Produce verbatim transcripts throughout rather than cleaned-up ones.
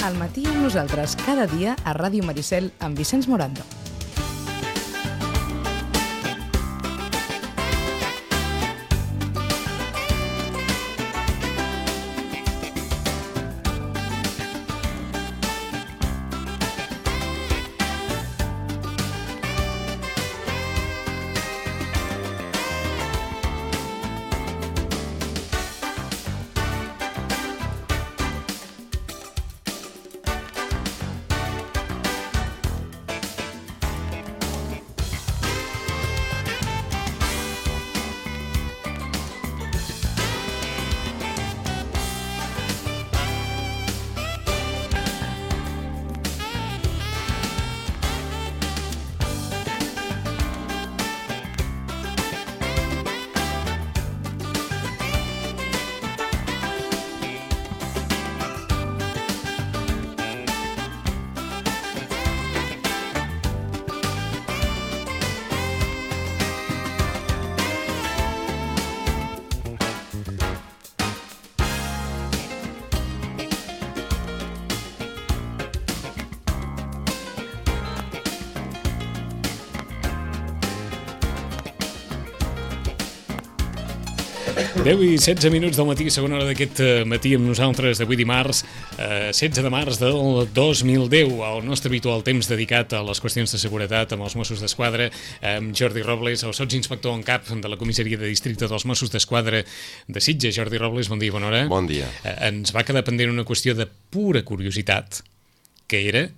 Al matí amb nosaltres cada dia a Ràdio Maricel amb Vicenç Morando. deu i setze minuts del matí, segona hora d'aquest matí amb nosaltres d'avui dimarts, eh, setze de març del dos mil deu, el nostre habitual temps dedicat a les qüestions de seguretat amb els Mossos d'Esquadra, amb Jordi Robles, el sotsinspector en cap de la comissaria de districte dels Mossos d'Esquadra de Sitges. Jordi Robles, bon dia, bona hora. Bon dia. Eh, ens va quedar pendent una qüestió de pura curiositat, que era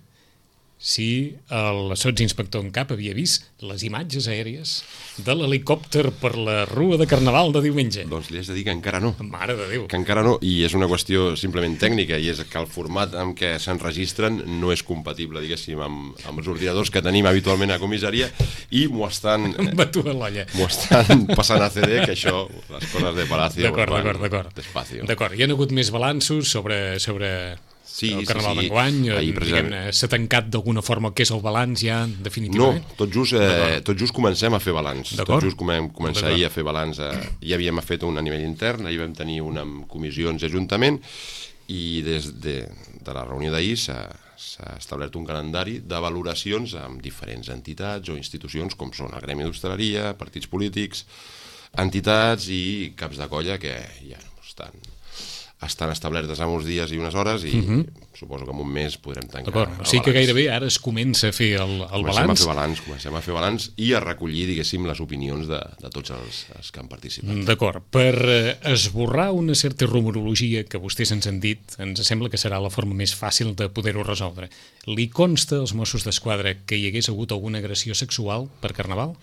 si el sotsinspector en cap havia vist les imatges aèries de l'helicòpter per la rua de Carnaval de diumenge. Doncs li has de dir que encara no. Mare de Déu. Que encara no, i és una qüestió simplement tècnica, i és que el format amb què s'enregistren no és compatible, diguéssim, amb, amb els ordinadors que tenim habitualment a comissaria, i m'ho estan... Batu a l'olla. M'ho estan passant a C D, que això, les coses de Palacio... D'acord, d'acord, d'acord. Despacio. D'acord, hi ha hagut més balanços sobre... sobre... Sí, el Carnaval sí, sí. d'enguany, Precisament... s'ha tancat d'alguna forma el que és el balanç ja definitivament? No, tot just, eh, tot just comencem a fer balanç. Tot just comencem començar ahir a fer balanç. Eh, ja havíem fet un a nivell intern, ahir vam tenir una amb comissions d'Ajuntament, i des de, de la reunió d'ahir s'ha establert un calendari de valoracions amb diferents entitats o institucions, com són el Gremi d'Hostaleria, partits polítics, entitats i caps de colla que ja no estan... estan establertes en uns dies i unes hores, i uh-huh. suposo que en un mes podrem tancar. D'acord, o sigui que gairebé ara es comença a fer el, el comencem balanç. A fer balanç. Comencem a fer balanç i a recollir, diguéssim, les opinions de, de tots els, els que han participat. D'acord, per esborrar una certa rumorologia que vostès ens han dit, ens sembla que serà la forma més fàcil de poder-ho resoldre. Li consta als Mossos d'Esquadra que hi hagués hagut alguna agressió sexual per Carnaval?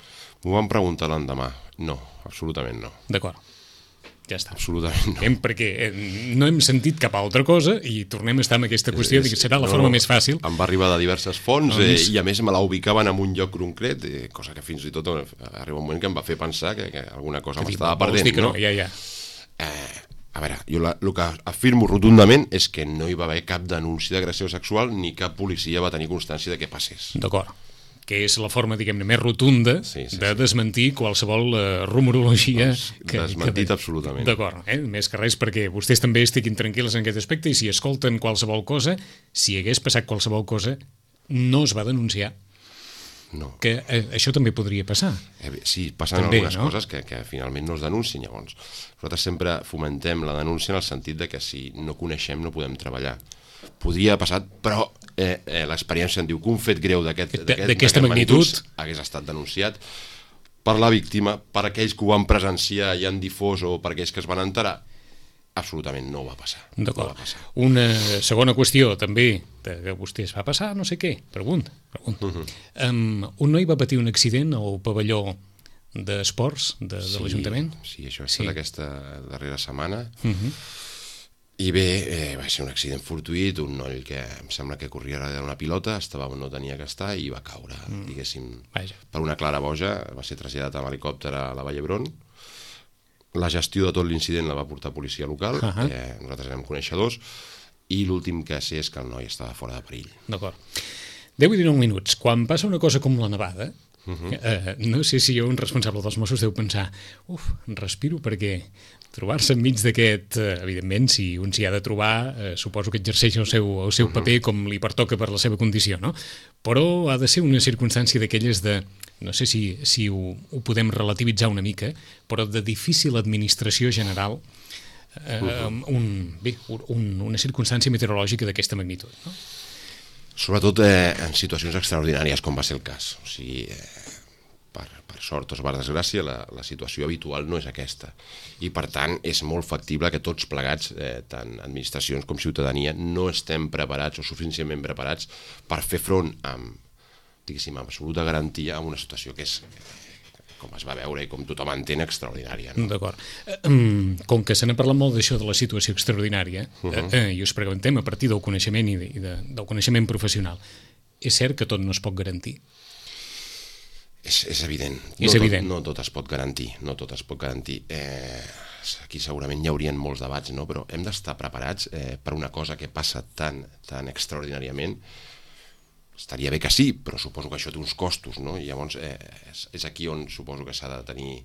M'ho van preguntar l'endemà. No, absolutament no. D'acord. Ja està. Absolutament no. Hem, perquè no hem sentit cap altra cosa i tornem a estar amb aquesta qüestió de que serà la no, forma més fàcil. Em va arribar de diverses fonts, eh, i a més me la ubicaven en un lloc concret, eh, cosa que fins i tot arriba un moment que em va fer pensar que, que alguna cosa m'estava perdent. No? No? Ja, ja. Eh, a veure, jo la, el que afirmo rotundament és que no hi va haver cap denúncia d'agressió sexual ni cap policia va tenir constància de què passés. D'acord. Que és la forma, diguem-ne, més rotunda sí, sí, de desmentir qualsevol uh, rumorologia. Doncs, que, desmentit que... absolutament. D'acord, eh? Més que res perquè vostès també estiguin tranquil·les en aquest aspecte, i si escolten qualsevol cosa, si hagués passat qualsevol cosa, no es va denunciar. No. Que eh, això també podria passar. Eh, sí, passen també, algunes no? coses que, que finalment no es denuncien. Llavors, nosaltres sempre fomentem la denúncia en el sentit de que si no coneixem no podem treballar. Podria haver passat, però eh, eh, l'experiència en diu que un fet greu d'aquesta magnitud hagués estat denunciat per la víctima, per aquells que ho van presenciar i han difós, o per aquells que es van enterar. Absolutament no va passar. D'acord. No va passar. Una segona qüestió també, que vostès va passar no sé què, pregunta. pregunta. Uh-huh. um, un noi va patir un accident al pavelló d'esports de, de sí, l'Ajuntament? Sí, això ha estat sí. aquesta darrera setmana. Uh-huh. I bé, eh, va ser un accident fortuït, un noi que em sembla que corria darrere d'una pilota, estava on no tenia que estar i va caure, mm. diguéssim, Vaja. per una clara boja, va ser traslladat amb helicòpter a la Vall d'Hebron. La gestió de tot l'incident la va portar policia local, uh-huh. eh, nosaltres érem coneixedors, i l'últim que sé és que el noi estava fora de perill. D'acord. deu i dinou minuts. Quan passa una cosa com la nevada, Uh-huh. Uh, no sé si un responsable dels Mossos deu pensar uf, respiro perquè trobar-se enmig d'aquest, uh, evidentment, si un s'hi ha de trobar, uh, suposo que exerceix el seu, el seu uh-huh. paper com li pertoca per la seva condició, no? Però ha de ser una circumstància d'aquelles de, no sé si, si ho, ho podem relativitzar una mica, però de difícil administració general, uh, uh-huh. un, bé, un, una circumstància meteorològica d'aquesta magnitud, no? Sobretot eh, en situacions extraordinàries, com va ser el cas. O sigui, eh, per, per sort o per desgràcia, la, la situació habitual no és aquesta. I, per tant, és molt factible que tots plegats, eh, tant administracions com ciutadania, no estem preparats o suficientment preparats per fer front amb, diguéssim, amb absoluta garantia a una situació que és, com es va veure i com tothom entén, extraordinària. No? D'acord. Com que se n'ha parlat molt d'això de la situació extraordinària, uh-huh. eh, i us preguntem a partir del coneixement i, de, i de, del coneixement professional, és cert que tot no es pot garantir? És, és evident. És no, evident. Tot, no tot es pot garantir. No tot es pot garantir. Eh, aquí segurament hi haurien molts debats, no? Però hem d'estar preparats eh, per una cosa que passa tan, tan extraordinàriament. Estaria bé que sí, però suposo que això té uns costos, no? I llavors eh, és, és aquí on suposo que s'ha de tenir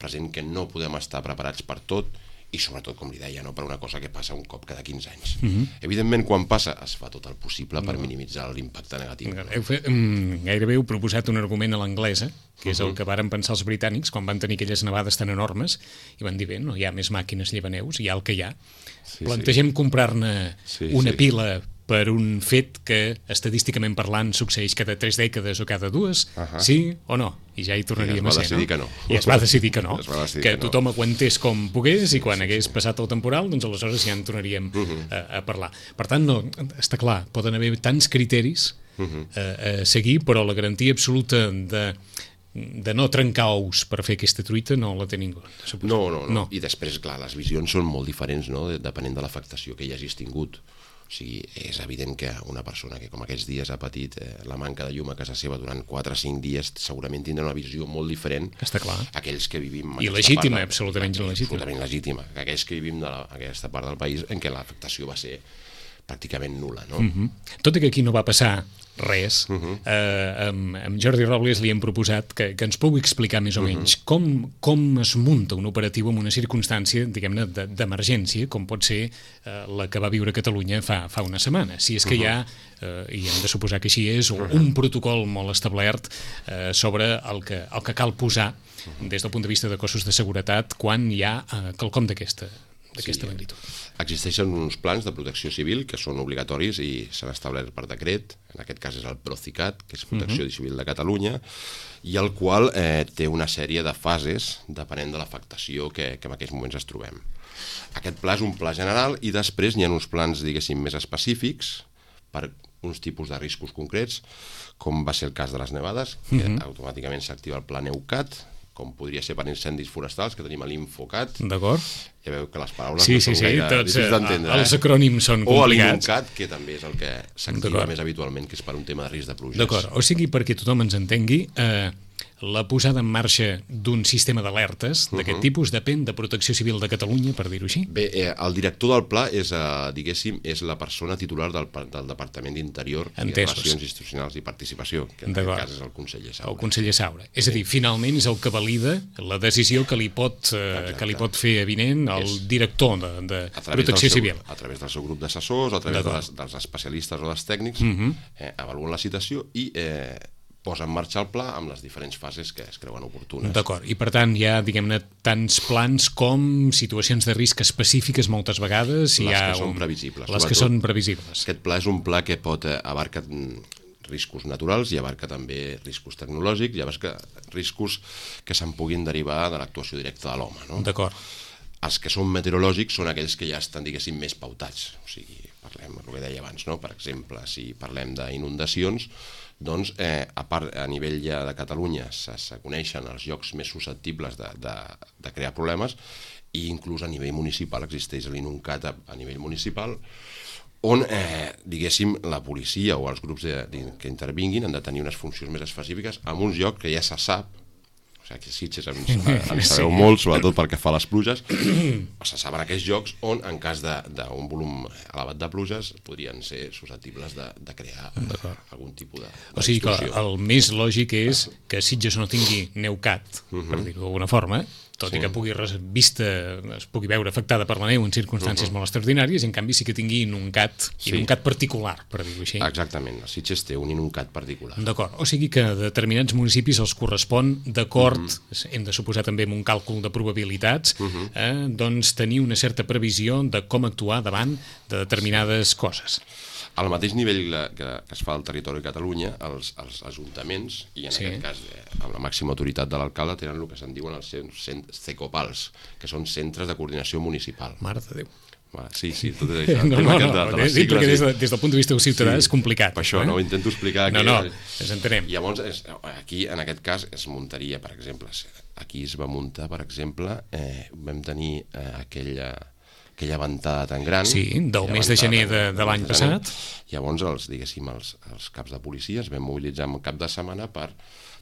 present que no podem estar preparats per tot i sobretot, com li deia, no? Per una cosa que passa un cop cada quinze anys. Uh-huh. Evidentment, quan passa, es fa tot el possible per minimitzar l'impacte negatiu. Heu fet, um, gairebé heu proposat un argument a l'anglesa, que és uh-huh. el que varen pensar els britànics quan van tenir aquelles nevades tan enormes i van dir, bé, no hi ha més màquines llevaneus, hi ha el que hi ha. Sí, Plantegem sí. comprar-ne sí, una sí. pila per un fet que, estadísticament parlant, succeeix cada tres dècades o cada dues, uh-huh. sí o no? I ja hi tornaríem a ser, no? Que no? I es va decidir que no. decidir que, que tothom no. aguantés com pogués i quan sí, hagués sí. passat el temporal, doncs aleshores ja en tornaríem uh-huh. a, a parlar. Per tant, no, està clar, poden haver tants criteris uh-huh. a, a seguir, però la garantia absoluta de de no trencar ous per fer aquesta truita no la té ningú. No, no, no, no. I després, clar, les visions són molt diferents, no? Depenent de l'afectació que hi hagis tingut. O sigui, és evident que una persona que com aquests dies ha patit eh, la manca de llum a casa seva durant quatre o cinc dies segurament tindrà una visió molt diferent Està clar. aquells que vivim... I legítima, part, absolutament legítima. Absolutament legítima. Aquells que vivim de la, aquesta part del país en què l'afectació va ser pràcticament nul·la, no? Uh-huh. Tot i que aquí no va passar res, uh-huh. eh, amb, amb Jordi Robles li hem proposat que, que ens pugui explicar més o uh-huh. menys com, com es munta un operatiu en una circumstància, diguem-ne, de, d'emergència, com pot ser eh, la que va viure Catalunya fa, fa una setmana. Si és que uh-huh. hi ha, eh, i hem de suposar que així és, uh-huh. un protocol molt establert eh, sobre el que, el que cal posar uh-huh. des del punt de vista de cossos de seguretat quan hi ha eh, quelcom d'aquesta d'aquesta sí. magnitud. Existeixen uns plans de protecció civil que són obligatoris i s'han establert per decret, en aquest cas és el Procicat, que és Protecció uh-huh. Civil de Catalunya, i el qual eh, té una sèrie de fases depenent de l'afectació que, que en aquests moments es trobem. Aquest pla és un pla general i després n'hi ha uns plans, diguéssim, més específics per uns tipus de riscos concrets, com va ser el cas de les nevades, que uh-huh. automàticament s'activa el pla NEUCAT, com podria ser per incendis forestals, que tenim l'INFOCAT. D'acord. Ja veu que les paraules sí, no sí, són sí, gaire tots, difícils d'entendre. Els acrònims són complicats. O l'INUCAT, que també és el que s'activa més habitualment, que és per un tema de risc de pluges. D'acord, o sigui, perquè tothom ens entengui, eh, la posada en marxa d'un sistema d'alertes d'aquest uh-huh. tipus depèn de Protecció Civil de Catalunya, per dir-ho així? Bé, eh, el director del pla és, eh, diguéssim, és la persona titular del, del Departament d'Interior i Relacions Institucionals i Participació, que en aquest cas és el conseller Saura. El conseller Saura. És a dir, finalment és el que valida la decisió que li pot, eh, que li pot fer avinent el és director de, de Protecció seu, Civil. A través del seu grup d'assessors, a través de les, dels especialistes o dels tècnics, uh-huh. eh, avaluen la situació i eh, posa en marxa el pla amb les diferents fases que es creuen oportunes. D'acord, i per tant hi ha, diguem-ne, tants plans com situacions de risc específiques moltes vegades. Les hi ha que són un... previsibles. Les que són previsibles. Aquest pla és un pla que pot eh, abarcar riscos naturals i abarca també riscos tecnològics i abarca riscos que se'n puguin derivar de l'actuació directa de l'home. No? D'acord. Els que són meteorològics són aquells que ja estan, diguéssim, més pautats. O sigui, parlem del que deia abans, no? Per exemple, si parlem d'inundacions, doncs, eh, a part, a nivell ja de Catalunya se, se coneixen els llocs més susceptibles de, de, de crear problemes i inclús a nivell municipal existeix l'INUCAT a, a nivell municipal on, eh, diguéssim, la policia o els grups de, de, que intervinguin han de tenir unes funcions més específiques en uns llocs que ja se sap, o o sigui, que Sitges en, en sabeu sí. molt, sobretot pel que fa a les pluges, se saben aquests llocs on, en cas d'un volum elevat de pluges, podrien ser susceptibles de, de crear algun tipus de, de o sigui que el més lògic és que Sitges no tingui neucat, uh-huh. per dir-ho d'alguna forma, tot sí. i que pugui vista, es pugui veure afectada per la neu en circumstàncies uh-huh. molt extraordinàries, i en canvi sí que tingui inuncat, sí. inuncat particular, per dir-ho així. Exactament, el Sitges té un inuncat particular. D'acord, o sigui que a determinats municipis els correspon, d'acord, uh-huh. hem de suposar també amb un càlcul de probabilitats, uh-huh. eh, doncs tenir una certa previsió de com actuar davant de determinades sí. coses. Al mateix nivell que, que es fa al territori de Catalunya, els, els ajuntaments, i en sí. aquest cas eh, amb la màxima autoritat de l'alcalde, tenen el que se'n diuen els CECOPALs, que són Centres de Coordinació Municipal. Mare de Déu. Sí, sí, tot és això. No, no, no, de, de sí, sigles, perquè des, de, des del punt de vista del ciutadà sí, és complicat. Per això, eh? no, ho intento explicar. No, no, ens entenem. Llavors, és, aquí, en aquest cas, es muntaria, per exemple, aquí es va muntar, per exemple, eh, vam tenir eh, aquella... aquella ventada tan gran... Sí, del mes de gener de, de l'any passat. Llavors, els, diguéssim, els, els caps de policia es van mobilitzar en cap de setmana per,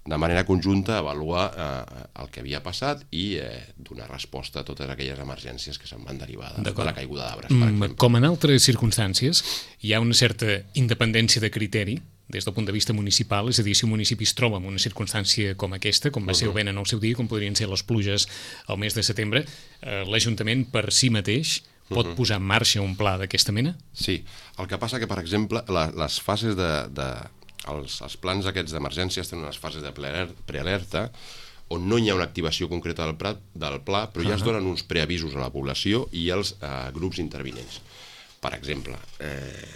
de manera conjunta, avaluar eh, el que havia passat i eh, donar resposta a totes aquelles emergències que se'n van derivar de, de la caiguda d'arbres, per exemple. Com en altres circumstàncies, hi ha una certa independència de criteri des del punt de vista municipal, és a dir, si un municipi es troba en una circumstància com aquesta, com va ser el vent en el seu dia, com podrien ser les pluges al mes de setembre, eh, l'Ajuntament per si mateix pot uh-huh. posar en marxa un pla d'aquesta mena? Sí, el que passa que, per exemple, la, les fases de... de els, els plans aquests d'emergències tenen unes fases de prealerta on no hi ha una activació concreta del, pla, del pla, però ja uh-huh. es donen uns preavisos a la població i als eh, grups intervinents. Per exemple, eh,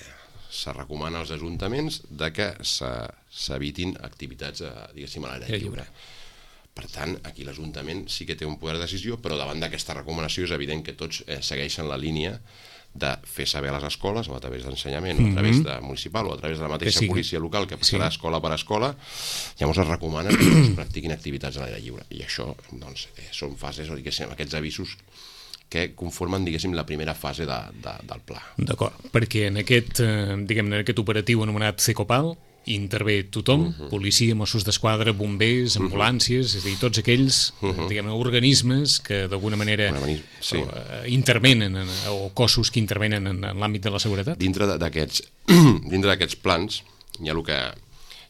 se recomana als ajuntaments de que s'evitin activitats, eh, diguéssim, a l'aire lliure. Per tant, aquí l'Ajuntament sí que té un poder de decisió, però davant d'aquesta recomanació és evident que tots eh, segueixen la línia de fer saber a les escoles, o a través d'ensenyament, mm-hmm. o a través de municipal, o a través de la mateixa sí. policia local, que passarà sí. escola per escola, llavors es recomana que es practiquin activitats a l'aire lliure. I això, doncs, eh, són fases, o diguéssim, aquests avisos que conformen, diguéssim, la primera fase de, de, del pla. D'acord, perquè en aquest, eh, diguem, en aquest operatiu anomenat CECOPAL intervé tothom, uh-huh. policia, Mossos d'Esquadra, bombers, ambulàncies, uh-huh. és a dir, tots aquells uh-huh. diguem, organismes que d'alguna manera sí. uh, intervenen en, o cossos que intervenen en, en l'àmbit de la seguretat. Dintre d'aquests dintre d'aquests plans hi ha el que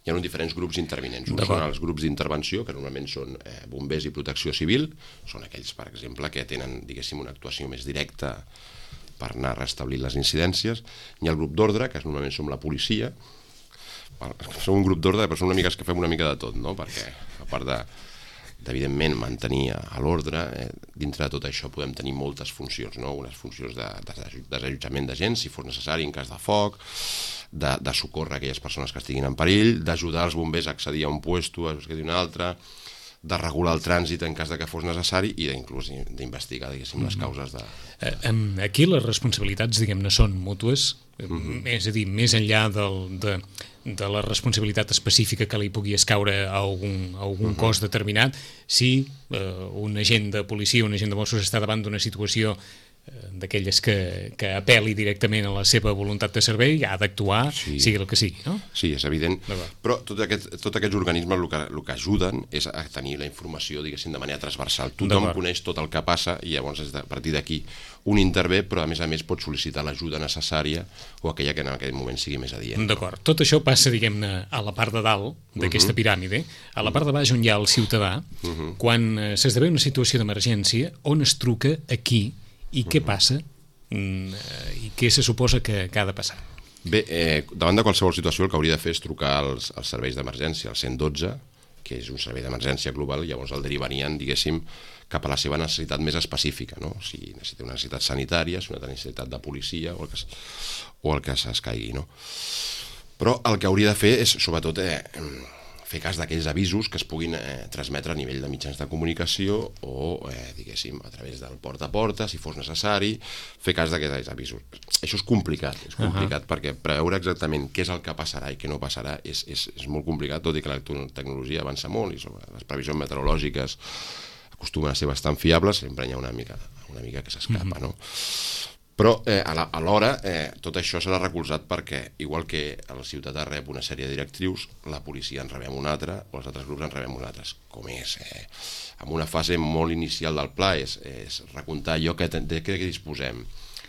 hi ha uns diferents grups intervinents. Uns són els grups d'intervenció, que normalment són eh, bombers i protecció civil, són aquells, per exemple, que tenen, diguéssim, una actuació més directa per anar restablint les incidències. Hi ha el grup d'ordre, que normalment som la policia. Som un grup d'ordre, però som una mica que fem una mica de tot, no? Perquè, a part de, d'evidentment, mantenir a l'ordre, eh, dintre de tot això podem tenir moltes funcions, no? Unes funcions de, de desallotjament de gent, si fos necessari, en cas de foc, de, de socórrer aquelles persones que estiguin en perill, d'ajudar els bombers a accedir a un puesto, a un altre, de regular el trànsit en cas de que fos necessari i inclús d'investigar, diguéssim, les causes de... Aquí les responsabilitats, diguem-ne, són mútues, mm-hmm. és a dir, més enllà del, de, de la responsabilitat específica que li pugui escaure a algun, a algun mm-hmm. cos determinat, si eh, un agent de policia, un agent de Mossos està davant d'una situació d'aquelles que, que apel·li directament a la seva voluntat de servei, ha d'actuar, sí. sigui el que sigui, no? Sí, és evident, però tots aquest, tot aquests organismes el que, el que ajuden és a tenir la informació, diguéssim, de manera transversal. Tothom coneix tot el que passa i llavors a partir d'aquí un intervé, però a més a més pot sol·licitar l'ajuda necessària o aquella que en aquell moment sigui més adient. D'acord. Tot això passa, diguem-ne, a la part de dalt d'aquesta uh-huh. piràmide. A la part de baix on hi ha el ciutadà, uh-huh. quan s'esdevé una situació d'emergència, on es truca aquí i què passa i què se suposa que, que ha de passar? Bé, eh, davant de qualsevol situació el que hauria de fer és trucar als, als serveis d'emergència, al cent dotze, que és un servei d'emergència global, i llavors el derivarien, diguéssim, cap a la seva necessitat més específica, no? Si necessita una necessitat sanitària, si una necessitat de policia o el que, o el que s'escaigui, no? Però el que hauria de fer és, sobretot, eh, fer cas d'aquells avisos que es puguin eh, transmetre a nivell de mitjans de comunicació o, eh, diguéssim, a través del porta a porta, si fos necessari, fer cas d'aquests avisos. Això és complicat, és complicat uh-huh. perquè preveure exactament què és el que passarà i què no passarà és, és, és molt complicat, tot i que la tecnologia avança molt i sobre les previsions meteorològiques acostumen a ser bastant fiables, sempre hi ha una mica, una mica que s'escapa, uh-huh. no? Però eh, alhora eh, tot això serà recolzat perquè, igual que el ciutadà rep una sèrie de directrius, la policia en rebem una altra o els altres grups en rebem una altra. Com és? Eh? En una fase molt inicial del pla és, és recomptar allò que, de què disposem.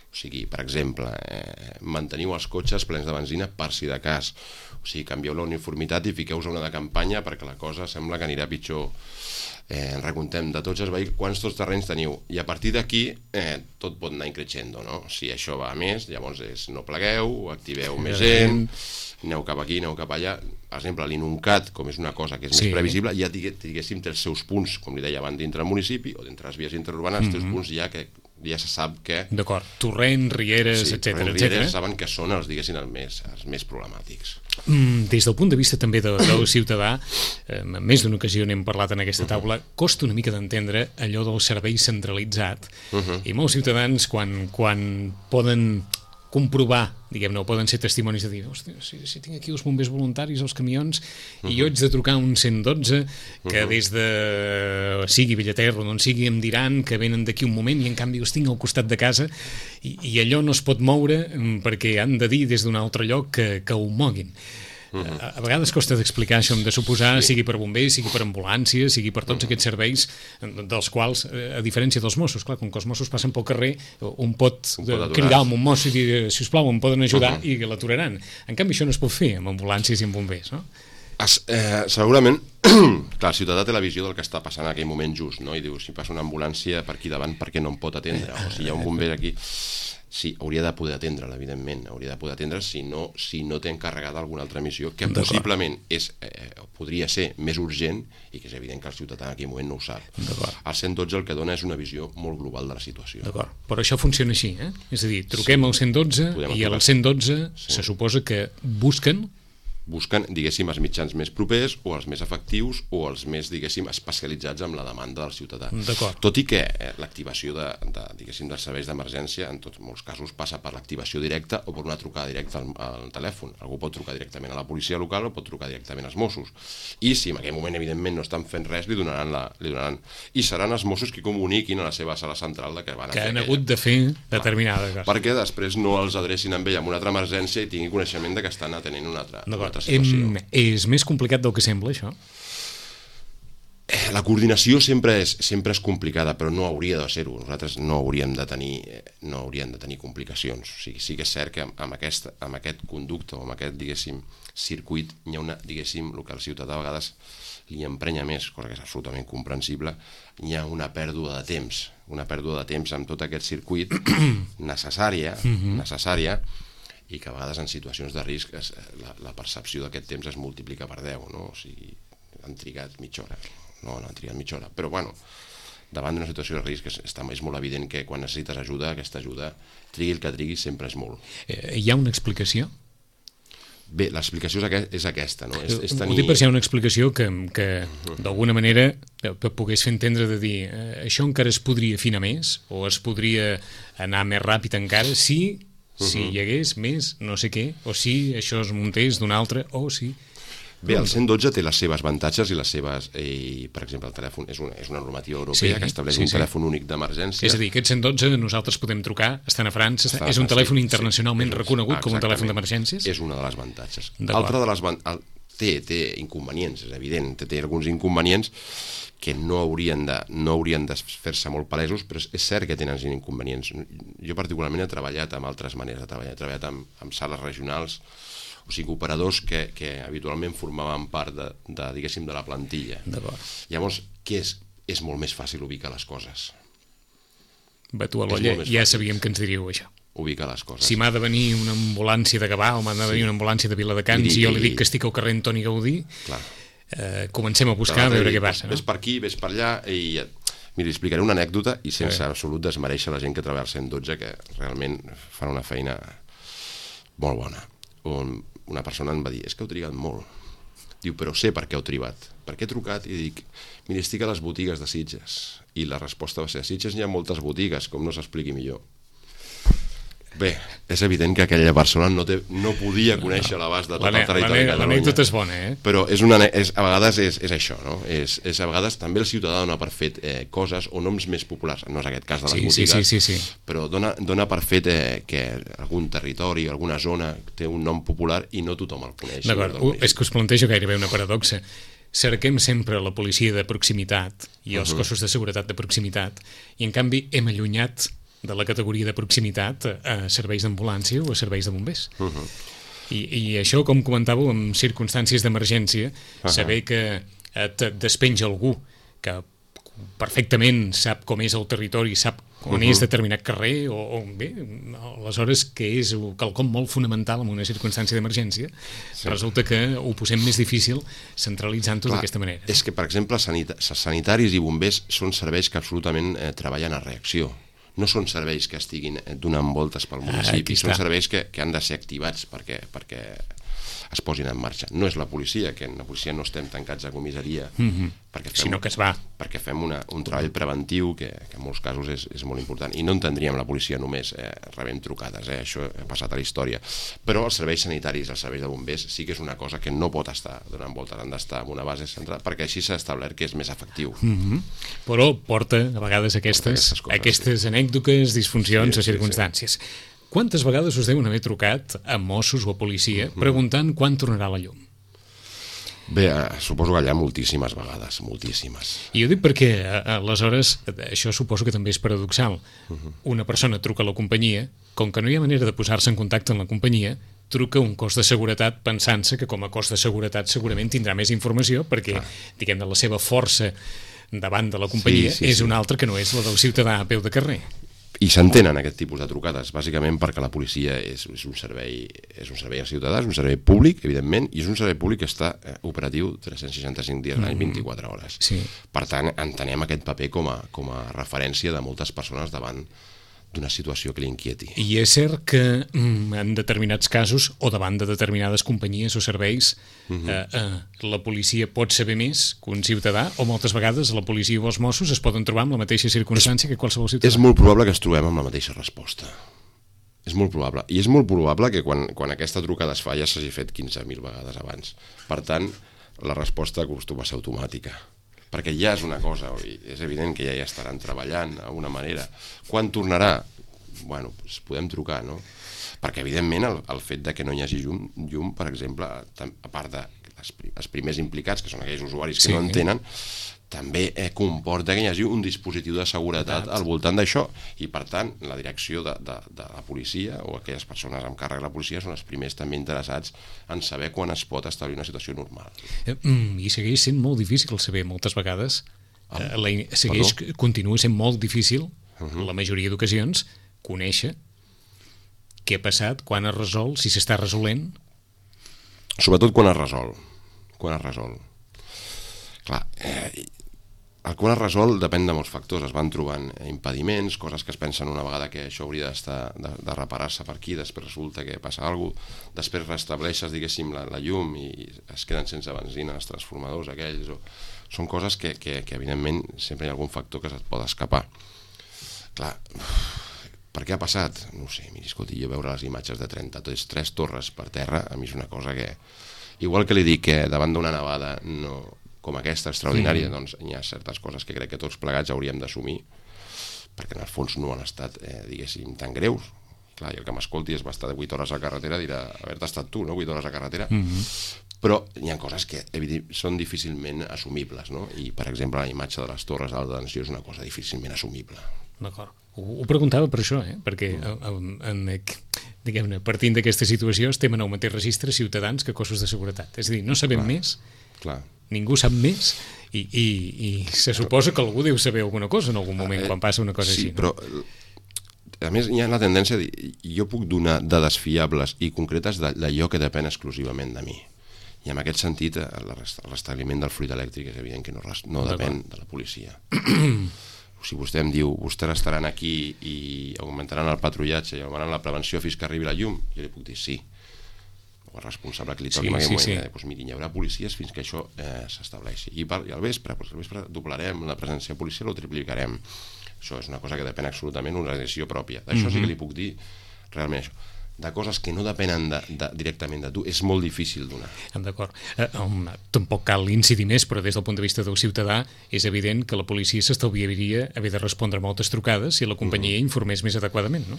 O sigui, per exemple, eh, manteniu els cotxes plens de benzina per si de cas. O sigui, canvieu la uniformitat i fiqueu-vos una de campanya perquè la cosa sembla que anirà pitjor. Eh, en recomptem de tots els vehicles, quants tots terrenys teniu, i a partir d'aquí eh, tot pot anar increixendo, no? Si això va a més, llavors és no plegueu, activeu més gent, aneu cap aquí, aneu cap allà. Per exemple, l'Inuncat, com és una cosa que és sí. més previsible, ja diguéssim té els seus punts, com li deia abans, dintre el municipi o dintre les vies interurbanes, mm-hmm. els teus punts ja que ja se sap que... D'acord, torrent, rieres, sí, etcètera, torrent, etcètera. Rieres saben que són els, diguéssim, els més, els més problemàtics. Mm, des del punt de vista també de, del ciutadà, eh, en més d'una ocasió n'hem parlat en aquesta taula, uh-huh. costa una mica d'entendre allò del servei centralitzat, uh-huh. i molts ciutadans quan, quan poden comprovar, diguem-ne, o poden ser testimonis de dir, hòstia, si, si tinc aquí els bombers voluntaris, els camions, uh-huh. i jo haig de trucar un cent dotze, que uh-huh. des de sigui Villaterra o d'on sigui em diran que venen d'aquí un moment i en canvi els tinc al costat de casa i, i allò no es pot moure perquè han de dir des d'un altre lloc que, que ho moguin. Uh-huh. A, a vegades costa d'explicar això, hem de suposar, sí. sigui per bombers, sigui per ambulància, sigui per tots uh-huh. aquests serveis dels quals, a diferència dels Mossos, clar, com que els Mossos passen pel carrer, un pot, un pot cridar amb un mosso i dir, sisplau, em poden ajudar, uh-huh. i l'aturaran. En canvi, això no es pot fer amb ambulàncies i amb bombers, no? Es, eh, segurament, clar, el ciutadà té la visió del que està passant en aquell moment just, no? I diu, si passa una ambulància per aquí davant, per què no em pot atendre? O si hi ha un bomber aquí... Sí, hauria de poder atendre'l, evidentment, hauria de poder atendre'l si no, si no té encarregada alguna altra missió que possiblement és, eh, podria ser més urgent i que és evident que el ciutadà en aquell moment no ho sap. El cent dotze el que dona és una visió molt global de la situació. D'acord, però això funciona així, eh? És a dir, truquem sí. al cent dotze i al cent dotze sí. se suposa que busquen busquen, diguéssim, els mitjans més propers o els més efectius o els més, diguéssim, especialitzats amb la demanda del ciutadà. Tot i que eh, l'activació de, de, diguéssim, dels serveis d'emergència en tots molts casos passa per l'activació directa o per una trucada directa al, al telèfon. Algú pot trucar directament a la policia local o pot trucar directament als Mossos. I si en aquell moment, evidentment, no estan fent res, li donaran la... Li donaran... I seran els Mossos que comuniquin a la seva sala central de que van a que fer han aquella. hagut de fer determinada cosa. Perquè després no els adrecin amb ell amb una altra emergència i tinguin coneixement de que estan atenent una altra, una altra situació. Em, és més complicat del que sembla, això? La coordinació sempre és, sempre és complicada, però no hauria de ser-ho. Nosaltres no hauríem de tenir, no hauríem de tenir complicacions. O sigui, sí que és cert que amb aquest, amb aquest conducte o amb aquest, diguéssim, circuit hi ha una, diguéssim, el que el ciutadà a vegades li emprenya més, cosa que és absolutament comprensible, hi ha una pèrdua de temps, una pèrdua de temps amb tot aquest circuit necessària, necessària, i que a vegades en situacions de risc es, la, la percepció d'aquest temps es multiplica per deu, no? O sigui, han trigat mitja hora. No, no han trigat mitja hora. Però, bueno, davant d'una situació de risc és, està, és molt evident que quan necessites ajuda, aquesta ajuda, trigui el que trigui, sempre és molt. Eh, hi ha una explicació? Bé, l'explicació és, aquest, és aquesta, no? És, és tenir... Ho dic per si hi ha una explicació que, que d'alguna manera pogués fer entendre de dir eh, això encara es podria afinar més o es podria anar més ràpid encara si... si hi hagués més no sé què, o si això es muntés d'un altre, o si... Bé, el cent dotze té les seves avantatges i les seves... Eh, per exemple, el telèfon és una, és una normativa europea sí, que estableix sí, un sí. telèfon únic d'emergència. És a dir, aquest cent dotze nosaltres podem trucar, estan a França, està, és un telèfon sí, internacionalment sí, reconegut com un telèfon d'emergències. És una de les avantatges. Altra de les el, té, té inconvenients, és evident, té, té alguns inconvenients que no haurien de, no haurien de fer-se molt palesos, però és cert que tenen inconvenients. Jo particularment he treballat amb altres maneres de treballar, he treballat amb, amb sales regionals, o sigui, operadors que, que habitualment formaven part de, de, diguéssim, de la plantilla. Llavors, què és? És molt més fàcil ubicar les coses. Va, tu a l'olla ja sabíem que ens diríeu això. Ubicar les coses. Si m'ha de venir una ambulància de Gavà o m'ha de venir sí. una ambulància de Viladecans i jo li dic que estic al carrer Antoni Gaudí, clar. Eh, comencem a buscar, a veure què passa. Ves per aquí, ves per allà i... Miri, explicaré una anècdota i sense sí. absolut desmereixer la gent que treballa al cent dotze, que realment fan una feina molt bona. On una persona em va dir, és que heu trigat molt. Diu, però sé per què heu trigat. Per què he trucat? I dic, miri, estic a les botigues de Sitges. I la resposta va ser, a Sitges hi ha moltes botigues, com no s'expliqui millor. Bé, és evident que aquella persona no, té, no podia conèixer l'abast de tot el territori de Catalunya. L'anècdota és bona, eh? Però és una, és, a vegades és, és això, no? És, és a vegades també el ciutadà dona per fet eh, coses o noms més populars, no és aquest cas de les sí, botigues, sí, sí, sí, sí. però dona, dona per fet eh, que algun territori, alguna zona té un nom popular i no tothom el coneix. D'acord, no és que us plantejo gairebé una paradoxa. Cerquem sempre la policia de proximitat i els uh-huh. cossos de seguretat de proximitat i en canvi hem allunyat de la categoria de proximitat a serveis d'ambulància o a serveis de bombers. Uh-huh. I, I això, com comentàveu, en circumstàncies d'emergència, uh-huh. saber que et despenja algú que perfectament sap com és el territori, sap on uh-huh. és determinat carrer, o, o bé, aleshores que és quelcom molt fonamental en una circumstància d'emergència, sí. resulta que ho posem més difícil centralitzant-ho d'aquesta manera. És que, per exemple, sanita- sanitaris i bombers són serveis que absolutament eh, treballen a reacció. No són serveis que estiguin donant voltes pel municipi, ah, són serveis que, que han de ser activats perquè, perquè es posin en marxa. No és la policia, que en la policia no estem tancats a comissaria, mm-hmm. perquè fem, sinó que es va. Perquè fem una, un treball preventiu que, que en molts casos és, és molt important. I no entendríem la policia només eh, rebent trucades, eh? Això ha passat a la història. Però els serveis sanitaris, els serveis de bombers, sí que és una cosa que no pot estar donant voltes, han d'estar en una base central, perquè així s'ha establert que és més efectiu. Mm-hmm. Però porta a vegades aquestes, coses, aquestes sí. anècdotes, disfuncions sí, o circumstàncies. Sí, sí. Quantes vegades us deuen haver trucat a Mossos o a policia preguntant quan tornarà la llum? Bé, suposo que allà moltíssimes vegades, moltíssimes. I ho dic perquè, aleshores, això suposo que també és paradoxal. Una persona truca a la companyia, com que no hi ha manera de posar-se en contacte amb la companyia, truca un cos de seguretat pensant-se que com a cos de seguretat segurament tindrà més informació perquè, ah. diguem-ne, la seva força davant de la companyia sí, sí, és sí. una altra que no és la del ciutadà a peu de carrer. I s'entenen aquest tipus de trucades, bàsicament perquè la policia és, és, un servei, és un servei al ciutadà, és un servei públic, evidentment, i és un servei públic que està eh, operatiu tres-cents seixanta-cinc dies l'any, vint-i-quatre hores. Sí. Per tant, entenem aquest paper com a, com a referència de moltes persones davant d'una situació que li inquieti. I és cert que mm, en determinats casos, o davant de determinades companyies o serveis, uh-huh. eh, eh, la policia pot saber més que un ciutadà, o moltes vegades la policia o els Mossos es poden trobar amb la mateixa circumstància és, que qualsevol ciutadà. És molt probable que ens trobem amb la mateixa resposta. És molt probable. I és molt probable que quan, quan aquesta trucada es fa ja s'hagi fet quinze mil vegades abans. Per tant, la resposta acostuma a ser automàtica. Perquè ja és una cosa, és evident que ja hi estaran treballant d'alguna manera. Quan tornarà? Bueno, doncs podem trucar, no? Perquè, evidentment, el, el fet de que no hi hagi llum, llum per exemple, a part de les, els primers implicats, que són aquells usuaris que sí. no en tenen, també eh, comporta que hi hagi un dispositiu de seguretat Exacte. al voltant d'això. I, per tant, la direcció de, de, de la policia o aquelles persones amb càrrec de la policia són els primers també interessats en saber quan es pot establir una situació normal. Eh, mm, I segueix sent molt difícil saber, moltes vegades, ah, eh, la, segueix, continua sent molt difícil, uh-huh. la majoria d'ocasions, conèixer què ha passat, quan es resol, si s'està resolent. Sobretot quan es resol. Quan es resol. Clar, eh, el quan es resol depèn de molts factors. Es van trobant impediments, coses que es pensen una vegada que això hauria d'estar de, de reparar-se per aquí, després resulta que passa alguna cosa, després restableixes, diguéssim, la, la llum i es queden sense benzina els transformadors aquells. O... Són coses que, que, que, evidentment, sempre hi ha algun factor que se't pot escapar. Clar, per què ha passat? No ho sé, miri, escolti, jo veure les imatges de trenta-tres torres per terra, a mi és una cosa que... Igual que li dic que davant d'una nevada no... com aquesta extraordinària, mm. doncs hi ha certes coses que crec que tots plegats hauríem d'assumir, perquè en el fons no han estat, eh, diguéssim, tan greus. Clar, i el que m'escolti és va estar vuit hores a carretera, dirà, haver-te estat tu, no?, vuit hores a carretera. Mm-hmm. Però hi ha coses que són difícilment assumibles, no? I, per exemple, la imatge de les torres d'alta tensió és una cosa difícilment assumible. D'acord. Ho, ho preguntava per això, eh? Perquè en, en, diguem-ne, partint d'aquesta situació estem en el mateix registre ciutadans que cossos de seguretat. És a dir, no sabem clar, més, clar. Ningú sap més i, i, i se suposa que algú deu saber alguna cosa en algun moment quan passa una cosa sí, així. No? Però a més hi ha la tendència de dir, jo puc donar dades fiables i concretes d'allò que depèn exclusivament de mi. I en aquest sentit el restabliment del fluid elèctric és evident que no, no depèn de la policia. Si vostè em diu, vostès estaran aquí i augmentaran el patrullatge i augmentaran la prevenció fins que arribi la llum, jo li puc dir sí. O el responsable que li toqui sí, en aquell sí, moment, sí. eh, doncs miri, hi haurà policies fins que això eh, s'estableixi. I, per, i al vespre, doncs al vespre doblarem la presència policial o triplicarem. Això és una cosa que depèn absolutament d'una organització pròpia. D'això mm-hmm. sí que li puc dir realment això. De coses que no depenen de, de, directament de tu, és molt difícil donar. D'acord. Eh, um, tampoc cal incidir més, però des del punt de vista del ciutadà és evident que la policia s'estalviaria haver de respondre moltes trucades si la companyia mm. informés més adequadament, no?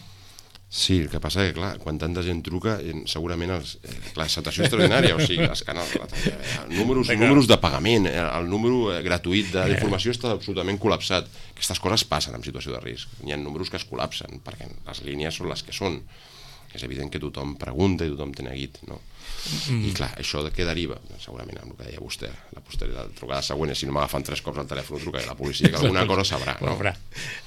Sí, el que passa que, clar, quan tanta gent truca, segurament els, eh, la situació extraordinària, o sigui, els canals, els números, números de pagament, el número gratuït d'informació està absolutament col·lapsat. Aquestes coses passen en situació de risc. Hi ha números que es col·lapsen, perquè les línies són les que són. És evident que tothom pregunta i tothom té neguit, no? Mm. I clar, això de què deriva? Segurament amb el que deia vostè, la posteritat, la trucada següent, si no m'agafen tres cops al telèfon, trucaré a la policia, que alguna cosa sabrà, no?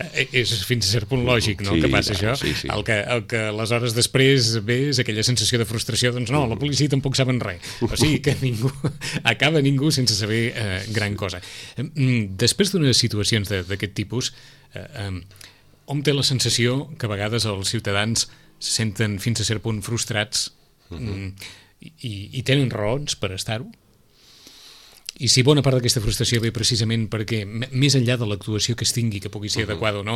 Eh, és fins a cert punt lògic, no?, sí, que passa clar, això. Sí, sí. El, que, el que aleshores després ve és aquella sensació de frustració, doncs no, la policia tampoc saben res. O sigui que ningú, acaba ningú sense saber eh, gran cosa. Després d'unes situacions d'aquest tipus, eh, eh, hom té la sensació que a vegades els ciutadans se senten fins a cert punt frustrats uh-huh. i, i tenen raons per estar-ho? I si bona part d'aquesta frustració ve precisament perquè, més enllà de l'actuació que es tingui, que pugui ser uh-huh. adequada o no,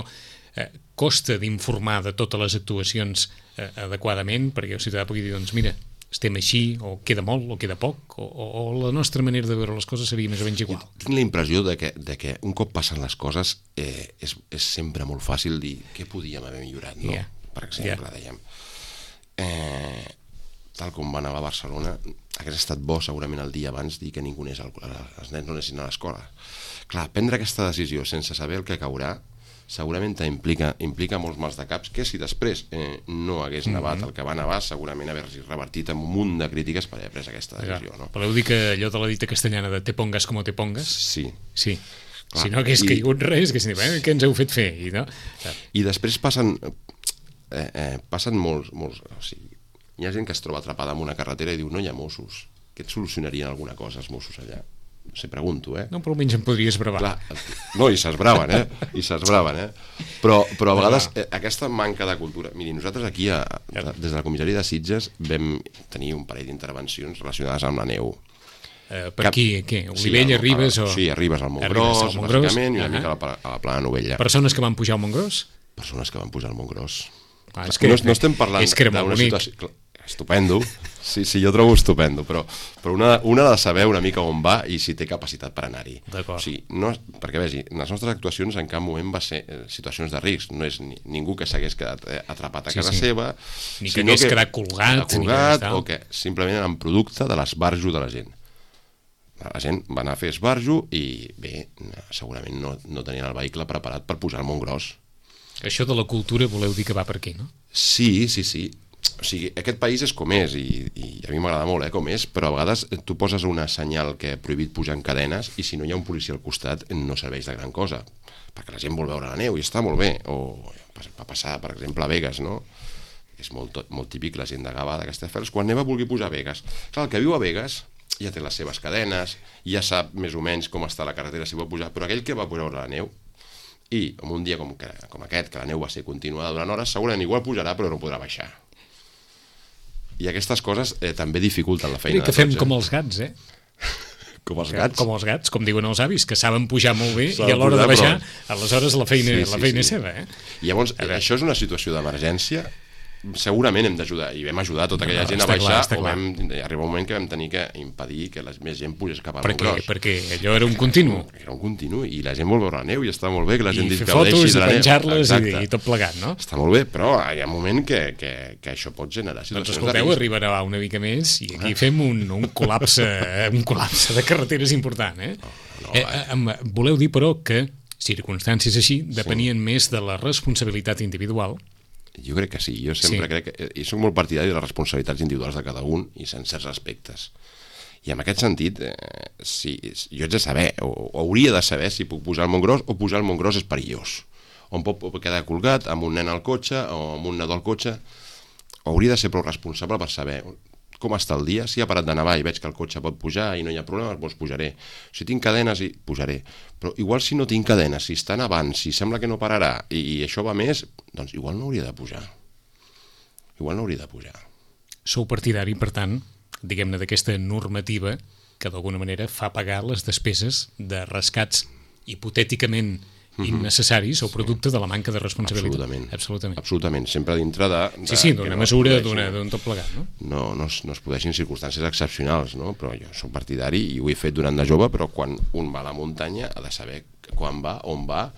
eh, costa d'informar de totes les actuacions eh, adequadament, perquè el ciutadà pugui dir, doncs mira, estem així, o queda molt, o queda poc, o, o, o la nostra manera de veure les coses seria més o menys igual. Jo tinc la impressió de que, de que un cop passen les coses eh, és, és sempre molt fàcil dir què podíem haver millorat, no? Yeah. Per exemple, yeah. dèiem, eh, tal com va anar a Barcelona, hauria estat bo segurament el dia abans dir que ningú anés al, els nens no anessin a l'escola. Clar, prendre aquesta decisió sense saber el que caurà segurament implica, implica molts mals de caps que si després eh, no hagués nevat mm-hmm. el que va nevar, segurament haver-s'hi revertit amb un munt de crítiques per haver pres aquesta decisió. Ja. No? Voleu dir que allò de la dita castellana de te pongas como te pongas? Sí. Sí. Clar, si no hagués i... caigut res, que si eh, què ens heu fet fer? I, no? I després passen... Eh, eh, passen molts, molts o sigui, hi ha gent que es troba atrapada en una carretera i diu no hi ha Mossos, que et solucionarien alguna cosa els Mossos allà? No sé, pregunto, eh? No, però almenys em podries bravar. Clar, no, i s'esbraven, eh? I s'esbraven, eh? Però, però a vegades eh, aquesta manca de cultura... Miri, nosaltres aquí, a, a, des de la comissaria de Sitges, vam tenir un parell d'intervencions relacionades amb la neu. Uh, per aquí, què? Olivella, sí, Ribes? O... Sí, Ribes al Montgròs, al Montgròs, bàsicament, i una uh-huh. mica a la, a la Plana Novella. Persones que van pujar al Montgròs? Persones que van pujar al Montgròs. Ah, és que, no, no estem parlant d'una situació... Estupendo, sí, sí, jo trobo estupendo, però, però una, una ha de saber una mica on va i si té capacitat per anar-hi. D'acord. O sigui, no, perquè vegi, en les nostres actuacions en cap moment va ser eh, situacions de risc, no és ni, ningú que s'hagués quedat eh, atrapat a sí, casa sí. seva, ni que hagués quedat colgat, colgat ni que o que simplement eren producte de l'esbarjo de la gent. La gent va anar a fer esbarjo i bé, segurament no, no tenien el vehicle preparat per pujar al Montgròs. Això de la cultura voleu dir que va per aquí, no? Sí, sí, sí. O sigui, aquest país és com és, i, i a mi m'agrada molt eh, com és, però a vegades tu poses una senyal que ha prohibit pujar en cadenes i si no hi ha un policia al costat no serveix de gran cosa, perquè la gent vol veure la neu i està molt bé. O va passar, per exemple, a Begues, no? És molt, molt típic la gent de Gavà, de Castelldefels, quan neva vulgui pujar a Begues. Clar, el que viu a Begues ja té les seves cadenes, ja sap més o menys com està la carretera si vol pujar, però aquell que va pujar a veure la neu i en un dia com, que, com aquest, que la neu va ser continuada durant hores, segurament igual pujarà però no podrà baixar. I aquestes coses eh, també dificulten la feina. I que fem tots, eh? Com els gats, eh? Com els gats? Com els gats, com diuen els avis, que saben pujar molt bé i a l'hora de baixar, però... aleshores la feina, sí, sí, la feina sí. és seva, eh? I llavors, això és una situació d'emergència, segurament hem d'ajudar, i vam ajudar tota aquella no, gent a baixar, clar, o vam arribar un moment que vam tenir que impedir que la més gent pugés cap al Montgròs. Perquè allò era un continu. Era un continu, i la gent vol veure la neu, i està molt bé que la gent I fer fotos, i penjar-les, i, i tot plegat, no? Està molt bé, però hi ha un moment que, que, que això pot generar situacions doncs escolteu, arribarà una mica més, i aquí ah. fem un, un, col·lapse, un col·lapse de carreteres important, eh? No, no, eh, eh voleu dir, però, que circumstàncies així depenien sí. més de la responsabilitat individual. Jo crec que sí, jo sempre sí. crec que... I soc molt partidari de les responsabilitats individuals de cada un i en certs aspectes. I en aquest sentit, eh, si, jo haig de saber, o, o hauria de saber si puc pujar al Montgròs o pujar al Montgròs és perillós. On pot quedar colgat amb un nen al cotxe o amb un nadó al cotxe. Hauria de ser prou responsable per saber com està el dia. Si ha parat de nevar i veig que el cotxe pot pujar i no hi ha problema, doncs pujaré. Si tinc cadenes, i pujaré. Però igual si no tinc cadenes, si està nevant, si sembla que no pararà i, i això va més, doncs igual no hauria de pujar. Igual no hauria de pujar. Sou partidari, per tant, diguem-ne, d'aquesta normativa que d'alguna manera fa pagar les despeses de rescats hipotèticament innecessaris o producte de la manca de responsabilitat. Absolutament. Absolutament. Absolutament. Sempre dintre de... de sí, sí, d'una no mesura, produeixin, d'un tot plegat, no? No, no, es, no es produeixin circumstàncies excepcionals, no? Però jo soc partidari i ho he fet durant de jove, però quan un va a la muntanya ha de saber quan va, on va,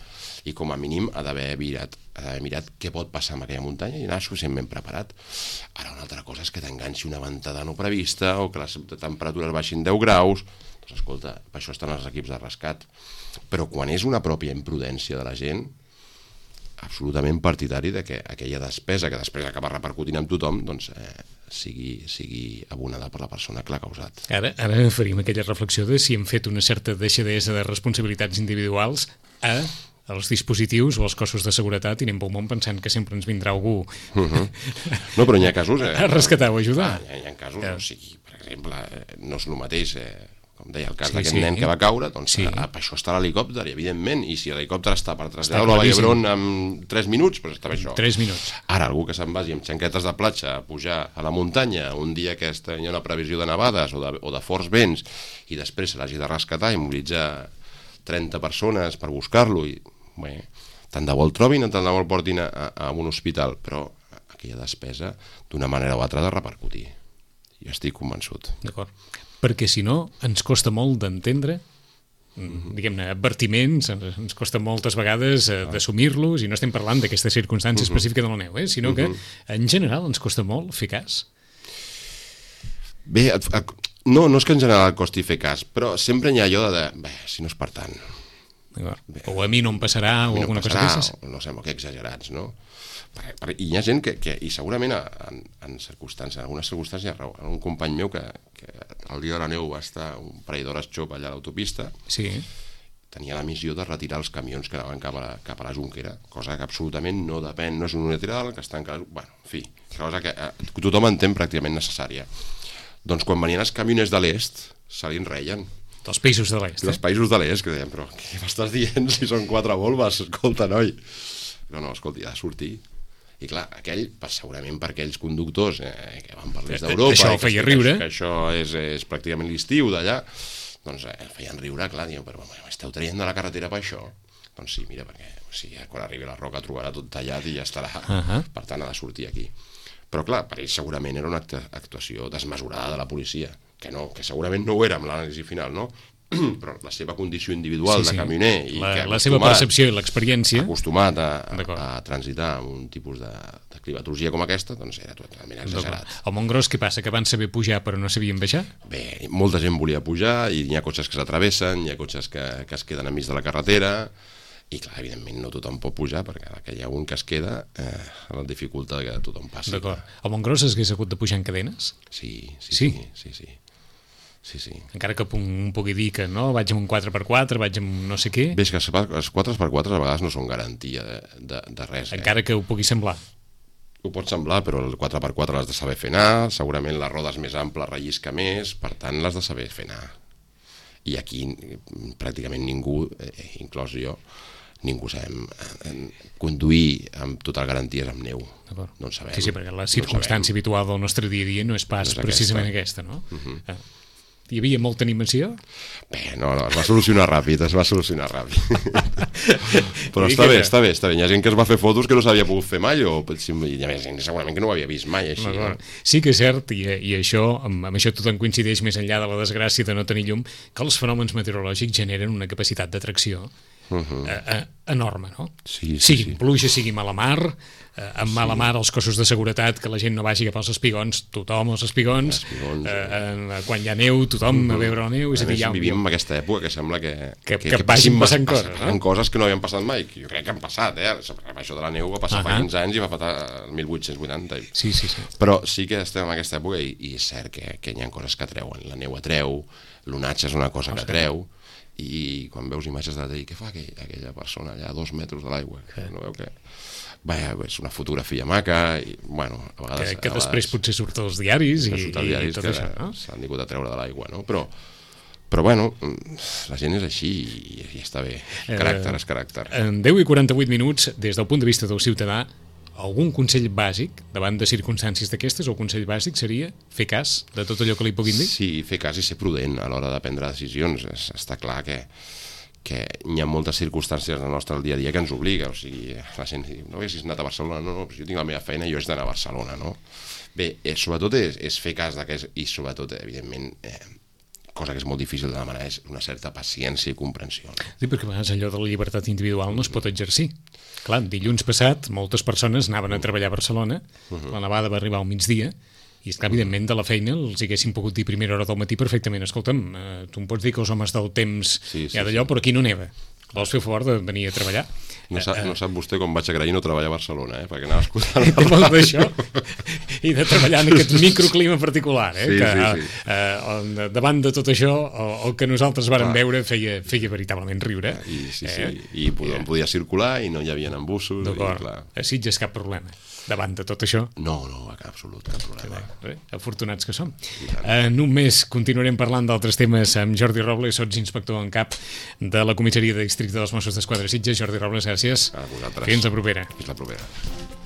i com a mínim ha d'haver mirat, ha d'haver mirat què pot passar en aquella muntanya i anar suficientment preparat. Ara una altra cosa és que t'enganxi una ventada no prevista o que les temperatures baixin deu graus. Doncs escolta, per això estan els equips de rescat. Però quan és una pròpia imprudència de la gent, absolutament partidari de que aquella despesa que després acaba repercutint amb tothom doncs eh, sigui, sigui abonada per la persona que l'ha causat. Ara, ara faríem aquella reflexió de si hem fet una certa deixadesa de responsabilitats individuals a els dispositius o els cossos de seguretat i anem pel món pensant que sempre ens vindrà algú uh -huh. No, però n'hi ha casos eh, a rescatar o ajudar. Ah, hi, ha, hi ha casos, ja. O sigui, per exemple, no és el mateix eh, com deia, el cas sí, d'aquest sí. nen que va caure, doncs sí. a, per això està l'helicòpter, i evidentment, i si l'helicòpter està per traslladar-lo a Vall d'Hebron en tres minuts, doncs està per això. tres minuts. Ara, algú que se'n vagi amb xanquetes de platja a pujar a la muntanya un dia que hi ha una previsió de nevades o de, o de forts vents, i després se l'hagi de rescatar i mobilitzar trenta persones per buscar-lo, i bé, tant de bo el trobin, tant de bo el portin a, a, a un hospital, però aquella despesa d'una manera o altra ha de repercutir. Jo estic convençut. D'acord. Perquè si no, ens costa molt d'entendre, mm-hmm. diguem-ne, advertiments, ens, ens costa moltes vegades eh, d'assumir-los, i no estem parlant d'aquesta circumstància mm-hmm. específica de la neu, eh, sinó mm-hmm. que en general ens costa molt fer cas. Bé, et, et, no, no és que en general costi fer cas, però sempre hi ha allò de, bé, si no és per tant. Bé, o a mi no em passarà, o no alguna passarà, cosa d'aquestes. No sé, que exagerats, no? Per, per, I hi ha gent que, que i segurament en, en circumstàncies, en algunes circumstàncies, un company meu que, que el dia de la neu va estar un parell d'hores xop allà a l'autopista, sí. tenia la missió de retirar els camions que anaven cap a la, cap a la Junquera, cosa que absolutament no depèn, no és unilateral, que està encara... Bueno, en fi, cosa que eh, tothom entén pràcticament necessària. Doncs quan venien els camioners de l'est, se li enreien. Dels països de l'est, eh? Dels països de l'est, que deien, però què m'estàs dient si són quatre volves? Escolta, noi. No, no, escolta, ha de sortir. I clar, aquell, segurament per aquells conductors eh, que van per l'est d'Europa... Això el feia riure. Que, que això és, és pràcticament l'estiu d'allà, doncs eh, feien riure, clar, diuen, però m'esteu traient de la carretera per això? Doncs sí, mira, perquè o sigui, quan arribi la roca trobarà tot tallat i ja estarà. Uh -huh. Per tant, ha de sortir aquí. Però clar, per ells segurament era una actuació desmesurada de la policia, que no, que segurament no ho era amb l'anàlisi final, no? Però la seva condició individual sí, sí. de camioner i la, que la seva percepció i l'experiència acostumat a, a, a transitar amb un tipus de, de climatologia com aquesta, doncs era totalment exagerat. Al Montgròs què passa? Que van saber pujar però no sabien baixar? Bé, molta gent volia pujar i hi ha cotxes que s'atravessen, hi ha cotxes que, que es queden enmig de la carretera i clar, evidentment no tothom pot pujar perquè que hi ha un que es queda eh, la dificultat que tothom passi. D'acord. Al Montgròs s'hagués hagut de pujar en cadenes? Sí, sí, sí. sí, sí, sí. Sí, sí. Encara que un pugui dir que no, vaig amb un quatre per quatre, vaig amb no sé què... Bé, és que els quatre per quatre a vegades no són garantia de, de, de res. Encara eh? que ho pugui semblar. Ho pot semblar, però el quatre per quatre l'has de saber fer anar, segurament les rodes més amples rellisca més, per tant l'has de saber fer anar. I aquí pràcticament ningú, eh, inclòs jo, ningú sabem eh, conduir amb totes les garanties amb neu. No en sabem. Sí, sí, perquè la circumstància no habitual del nostre dia a dia no és pas no és precisament aquesta, aquesta no? Uh-huh. Ah. Hi havia molta animació? Bé, no, no, es va solucionar ràpid, es va solucionar ràpid. Però està bé, està bé, està bé. Hi ha gent que es va fer fotos que no s'havia pogut fer mai, o hi ha gent segurament que no ho havia vist mai, així. No? Sí que és cert, i, i això, amb, amb això tothom coincideix més enllà de la desgràcia de no tenir llum, que els fenòmens meteorològics generen una capacitat d'atracció uh-huh. eh, eh, enorme, no? Sí, sí, sigui sí. pluja, sigui mala mar, eh, amb mala mar els cossos de seguretat, que la gent no vagi cap als espigons, tothom als espigons, espigons eh, eh, quan hi ha neu, tothom uh-huh. a veure la neu, és a dir, ja... Vivim en aquesta època que sembla que... Que, que, que vagin passant coses, no? coses que no havien passat mai, que jo crec que han passat, eh? Això de la neu va passar uh-huh. fa quinze anys i va passar el mil vuit-cents vuitanta. Sí, sí, sí. Però sí que estem en aquesta època i, i és cert que, que hi ha coses que atreuen. La neu atreu, l'onatge és una cosa que atreu, i quan veus imatges de la tele, què fa aquell, aquella persona allà a dos metres de l'aigua? Sí. No veu que... Vaja, és una fotografia maca, i, bueno, a vegades... Que, que a després vegades, potser surt als diaris i, i, diaris i tot això, no? S'han vingut a treure de l'aigua, no? Però, però bueno, la gent és així i, i està bé. Caràcter és caràcter. En deu i quaranta-vuit minuts, des del punt de vista del ciutadà, algun consell bàsic davant de circumstàncies d'aquestes, o el consell bàsic seria fer cas de tot allò que li puguin dir? Sí, fer cas i ser prudent a l'hora de prendre decisions. Està clar que, que hi ha moltes circumstàncies al nostre dia a dia que ens obliga, o sigui, la gent diu, no haguessis anat a Barcelona, no, no, jo tinc la meva feina i jo haig d'anar a Barcelona, no? Bé, eh, sobretot és, és fer cas d'aquest, i sobretot, evidentment, eh, cosa que és molt difícil de demanar, és una certa paciència i comprensió. No? Sí, perquè a vegades allò de la llibertat individual no es pot exercir. Clar, dilluns passat moltes persones anaven a treballar a Barcelona, uh-huh. la nevada va arribar al migdia, i és que, evidentment, de la feina els haguessin pogut dir a primera hora del matí perfectament, escolta'm, eh, tu em pots dir que els homes del temps sí, sí, hi ha d'allò, sí. Però aquí no neva. Vols fer favor de venir a treballar? No sap, no sap vostè com vaig agrair no treballar a Barcelona, eh? Perquè anava escoltant... Té molt d'això, i de treballar en aquest microclima particular, eh? Sí, que, sí, sí. Eh, davant de tot això, el, el que nosaltres vàrem veure feia, feia veritablement riure. I, sí, sí, eh? I podia, podia circular i no hi havia embussos. D'acord, a Sitges cap problema. Davant de tot això? No, no, cap absolut, cap problema. Bé, afortunats que som. En un mes continuarem parlant d'altres temes amb Jordi Robles, sots inspector en cap de la comissaria de districte dels Mossos d'Esquadra Sitges. Jordi Robles, gràcies. A vosaltres. Fins la propera. Fins la propera.